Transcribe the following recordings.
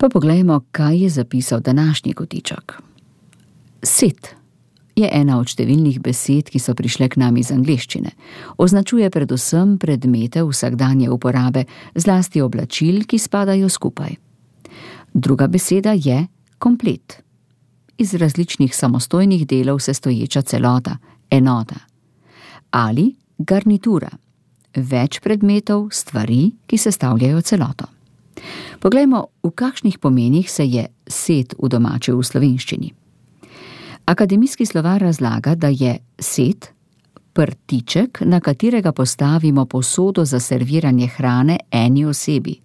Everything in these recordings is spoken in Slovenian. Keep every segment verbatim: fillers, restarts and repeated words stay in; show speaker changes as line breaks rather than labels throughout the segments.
Pa poglejmo, kaj je zapisal današnji kotiček. Set je ena od številnih besed, ki so prišle k nam iz angleščine. Označuje predvsem predmete vsakdanje uporabe, zlasti oblačil, ki spadajo skupaj. Druga beseda je komplet. Iz različnih samostojnih delov sestoječa celota, enota. Ali garnitura. Več predmetov, stvari, ki sestavljajo celoto. Poglejmo, v kakšnih pomenih se je set udomačil v slovenščini. Akademijski slovar razlaga, da je set prtiček, na katerega postavimo posodo za serviranje hrane eni osebi.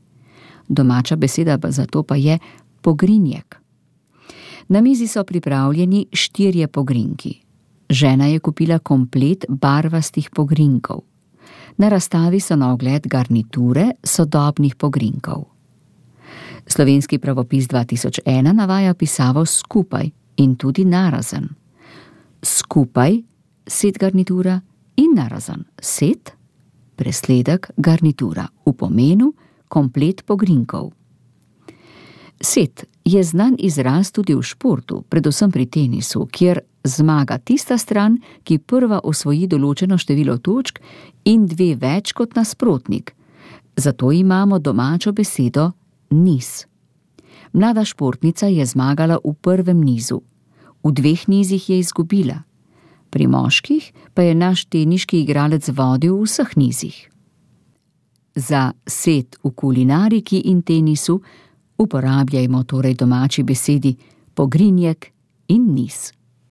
Domača beseda za to pa je pogrinjek. Na mizi so pripravljeni štirje pogrinjki. Žena je kupila komplet barvastih pogrinjkov. Na razstavi so na ogled garniture sodobnih pogrinjkov. Slovenski pravopis dva tisoč ena navaja pisavo skupaj in tudi narazen. Skupaj set garnitura in narazen set, presledek garnitura, v pomenu komplet pogrinjkov. Set je znan izraz tudi v športu, predvsem pri tenisu, kjer zmaga tista stran, ki prva osvoji določeno število točk in dve več kot nasprotnik. Zato imamo domačo besedo niz. Mlada športnica je zmagala v prvem nizu. V dveh nizih je izgubila. Pri moških pa je naš teniški igralec vodil v vseh nizih. Za set v kulinariki in tenisu uporabljajmo torej domači besedi pogrinjek in niz.